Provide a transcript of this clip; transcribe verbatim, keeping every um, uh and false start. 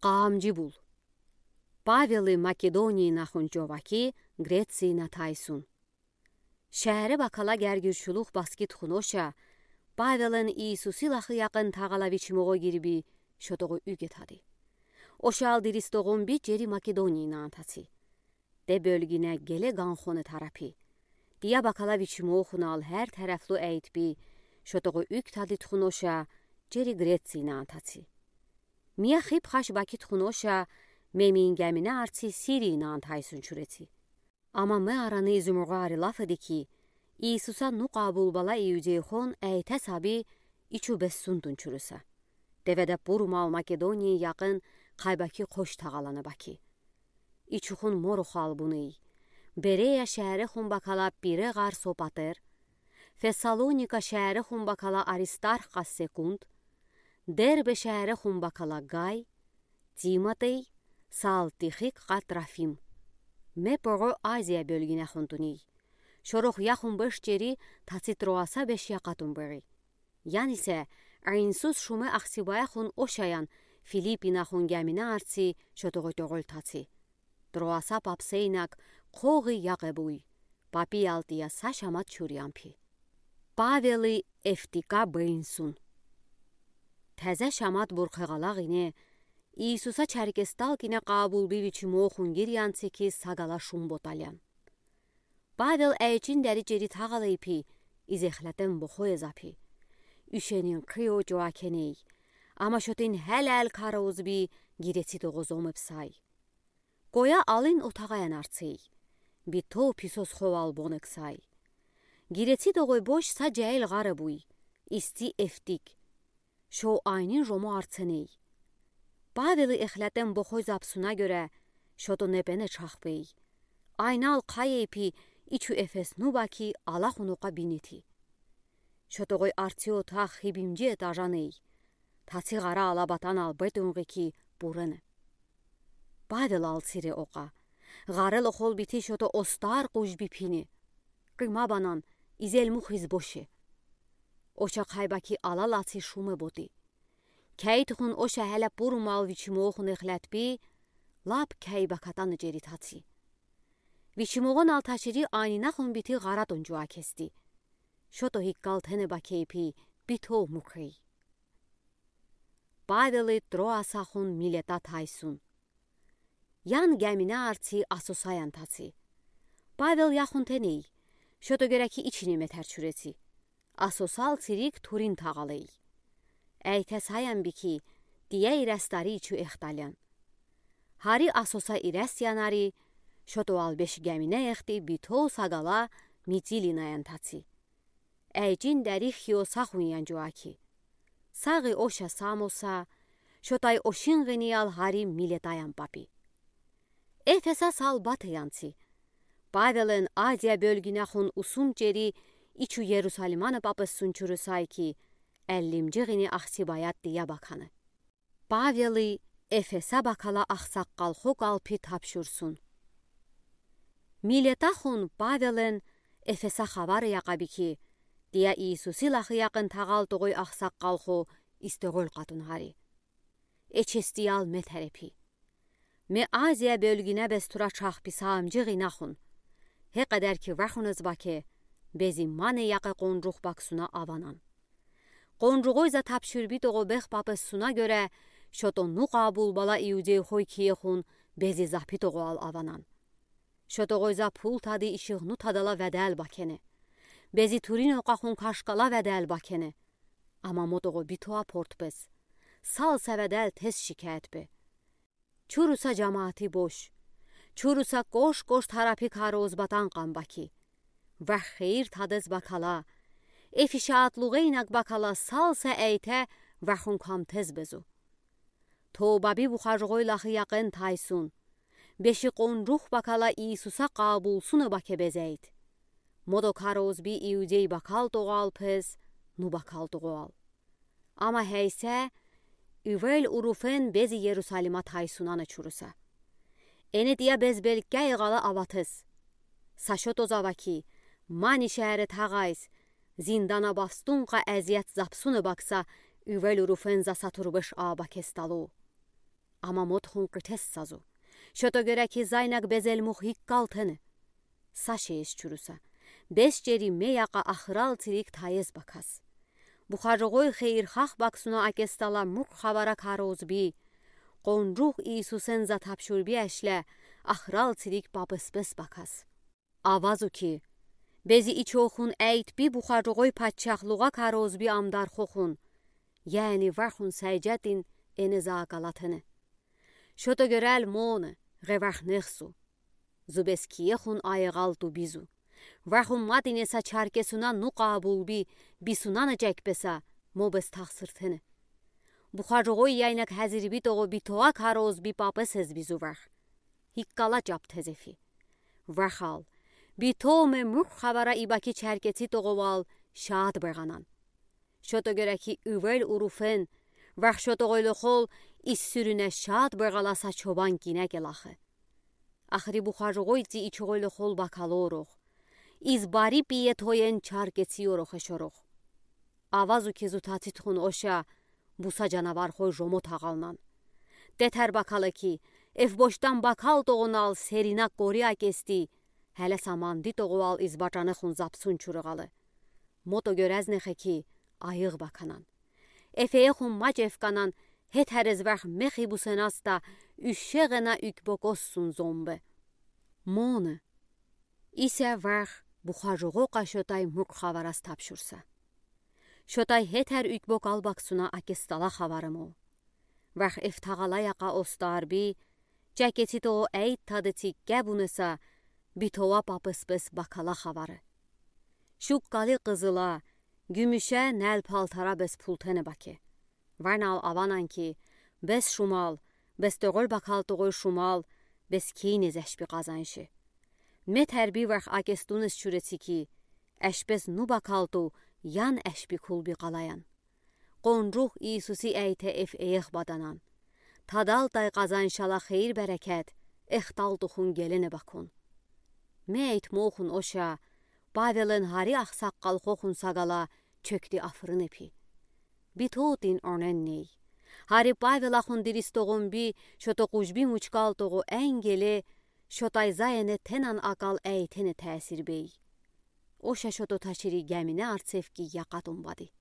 Къаамжи бул. Павелы Македонияын ахун жоваки, Грецияна тайсун. Шеере бакала гергишулух баскит хуноша, Павелэн Иисусы лахы яқын тағала вичмоға гирби, шотоғу уьгетади. Ошал диристогун би жери Македонияна антаци. Де бёлгине геле ганхоны тарапи. Тия бакала вичмохунал хер тарапьлу эйтби, шотоғу уьгтади тухуноша, жери Грецияна антаци. Мия хиб хаш бакит хуноша, мемиин гемине арци Сирияна антайсун чуреци. Ама ме араны изумруға ари лаф эди ки, Иисуса ну къабулбала иудейхон эйтес аби ичу бессундун чурыса. Деведа пурумал Македонияын яқын Кайбаки Кош тағаланы баки. Ичухун морухал буный. Берея шеерехун бакала Пире ğар Сопатер, Фессалоника шеерехун бакала Аристарх ка Секунд, Дербе шеерехун бакала Гай, Тимотей, сал Тихик ка Трофим. Ме порой Азия бёлгинехун туний. Шорох яхун беш жери таци Троаса беш якатун бери. Янисе, айнсуз шуме ахсибаяхун ошаян Филиппинахун гемине арци шотоғу тоғол таци. Троаса папсейнак коғи яғебуй, папи алтия са шамат чурьямпи. Павелы Эфтика бейнсун. Теза шамат бурхеғалағине, Иисуса чарикестал кине къабулби вичмохун гирянци ки сагала шум боталян. Павел эйчин дери жери тағалайпи, изехлетен бохой эзапи. Уьшенин кыйо жуакеней. Ама шотин хелел караузби гиреци тоғозомеб сай. Коя алин отағаян арцей. Битов писос ховал бонек сай. Гиреци тоғой бош са жаил ğаребуй. Исти Эфтик. Шо айнин жомо арценей. Павелы эхлетен бохой запсуна гёре, шото непене чахпей. Айнал кайейпи ичу Эфес ну баки алахун оқа бинети. Шотоғой арци отах хибимжи этажаней. Таци ğара ала батанал бетунгы ки бурене. Павел алцире оқа. Ğарел охол бити шото остар къужби пини. Кыма банан, изелмух из боши. Оша Кайбаки ала лаци шуме боти. Кей тухун оша хеле пурумал вичмохун эхлетби, лап кей бакатаны жери таци. Вичмоғонал ташири айнинахун бити ğаратун жуакести. Шото хиккал тене бакейпи битов мукей. Павелы Троасахун Милета тайсун. Ян гемине арци Асосаян таци. Павел яхун теней, шото гёре ки ичине метер чуреци. Асосал цирик Турин тағалай. Эйте саян би ки, тия ирестари ичу эхталян. Хари Асоса ирес янари, шотоал беш гемине эхти битов сагала Митилинаян таци. Эйчин дери Хиосахуньян жуаки. Сағи оша Самоса, шотай ошин гиниял хари Милетаян папи. Эфеса сал батеянци. Павелэн Азия бёлгинахун усун жери ичу Ерусалиманы папессун чурысай ки, эллимжи гини ахсибаят тия баканы. Павелы Эфеса бакала ахсаққалхо галпи тапшурсун. Милетахун Павелэн Эфеса хабар яқаби ки, тия Иисусы лахы яқын тағал тоғой ахсаққалхо истеғол къатун хари. Эчестиял ме терепи. Ме Азия бёлгине бес тура чахпи саамжи гинахун. Хе къедер ки вахуныз баке, бези мане яқе къонжух баксуна аванан. Къонжуғой за тапшурби тоғо бех папессуна гёре, шото ну къабулбала иудейхой киехун бези запи тоғоал аванан. Шотоғой за пул тади ишиғну тадала ведел бакене. Бези Турин оқахун кашкала ведел бакене. Ама мо тоғо битоа портпес. Сал са ведел тез шикаят бе. Чуруса жамаати бош. Чуруса кош-кош тарапи кароз батан къам баки. Вах хеир тадез бакала. Эфи шаатлуғ инаг бакала сал са эйте вахун кам тез безу. Тоба би бухажуғой лахы яқын тайсун. Беши къонжух бакала Иисуса къабулсуна баке безейт. Модо кароз би иудей бакал тоғал пез, ну бакал тоғоал. Ама хейсе, ивел уруфен бези Ерусалима тайсунана чуруса. Эне тия безбелкке иғала аватез. Сашо тозава ки, мани шеере тағайс, зиндана бавстунға эзият запсуна бакса, ивел уруфен за сатурбеш аба кесталу. Ама модхун къитес са зу. Шото герек ки, зайнаг безелмух иккал тенэ. Са шейес чуруса. Бес чери ме яка ахрал цирик тайез бакас. Бухароғой хейир хах баксуна акестала мурк хавара карозби. Къонрух Иисусен затапшурби ашле ахрал цирик папысбес бакас. Авазу ки, бези ичохун эйтби бухароғой патчахлуға карозби амдархохун. Яни вархун сайжатин эне заакалатыны. Шото герел моны, геварх нехсу. Зубес киехун айығал тубизу. Вархун мадине са чаркесуна нуқа абулби, бисуна на чекпеса, мобес тахсыртыны. Бухароғой яйнак хазирби тоғо битоа карозби папы сезбизу варх. Хиккала чап тезефи. Вархал, битоме мурх хавара ибаки чаркеци тоғо вал шаат беғанан. Шото герек ки, ивел уруфен, варх шото ғойлы хол ис сүрюне шаат беғала са чобан кине келахы. Ахри бухароғой ци ичоғойлы хол бакалорох. Из бари пие тоен чаркеци орохе шорох. Авазу ки зутацитхун оша, буса жанавархой жомо тағалнан. Тетер бакалы ки, эф бошдан бакал тоғунал серина кори акести, хеле саманди тоғуал из батаныхун запсун чурығалы. Мото герезне хеки айығ баканан. Эфеехун мач эфканан, хетерез варх мехи бусенаста, үшеғена үк бокоссун зомбы. Моны. Исе варх бухароғоқа шотай мурк хаварас тапшурса. Шотай хетер үк бокал баксуна акестала хаварымо. Варх эфтағала яқа остарби, чакеци тоғо эйт тады цикке бунеса, битова папыспес бакала хавары. Шуккали қызыла, гүмюше нәл палтара бес пултене баке. Ванал аванан ки, бес шумал, бес тоғол бакал тоғой шумал, бес кийнез әшпи қазаншы. Ме тәрби варх акестуныз чуреци ки, әшпес ну бакалту, ян әшпи кулби қалаян. Қонрух Иисуси әйте эф эйех баданан. Тадал тай қазаншала хейир бәрекет, эхтал тухун гелене бакун. Ме әйтмохун оша, Павелен хари ахсаққал хохун сағала чөкти афырын эпи. Битотин онен ней. Хари Павел ахун дирис тоғун би, шото қужби мучкал тоғу әңгеле, шотай зайене тенан акал әйтене тәсир бей. Оша шото ташири гәмине арцевки яқатун бади.